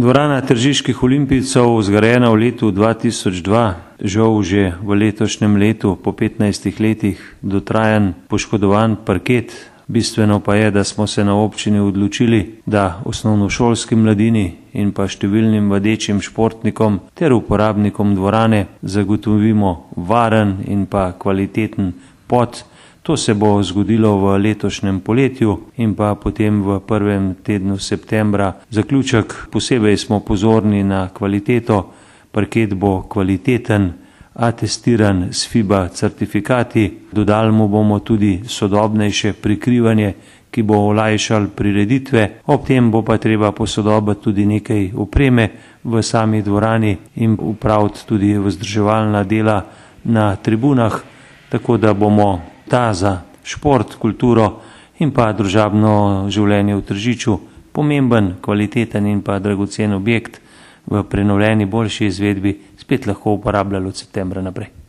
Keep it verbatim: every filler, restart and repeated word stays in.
Dvorana tržiških olimpijcev, zgrajena v letu dva tisoč dva, žal že v letošnjem letu po petnajstih letih dotrajan poškodovan parket. Bistveno pa je, da smo se na občini odločili, da osnovnošolski mladini in pa številnim vadečim športnikom ter uporabnikom dvorane zagotovimo varen in pa kvaliteten pot. To se bo zgodilo v letošnjem poletju in pa potem v prvem tednu septembra. Zaključek: posebej smo pozorni na kvaliteto, parket bo kvaliteten, atestiran s FIBA certifikati, dodali mu bomo tudi sodobnejše prikrivanje, ki bo olajšal prireditve, ob tem bo pa treba posodobiti tudi nekaj opreme v sami dvorani in upraviti tudi vzdrževalna dela na tribunah, tako da bomo ta za šport, kulturo in pa družabno življenje v Tržiču pomemben, kvaliteten in pa dragocen objekt v prenovljeni boljši izvedbi spet lahko uporabljali od septembra naprej.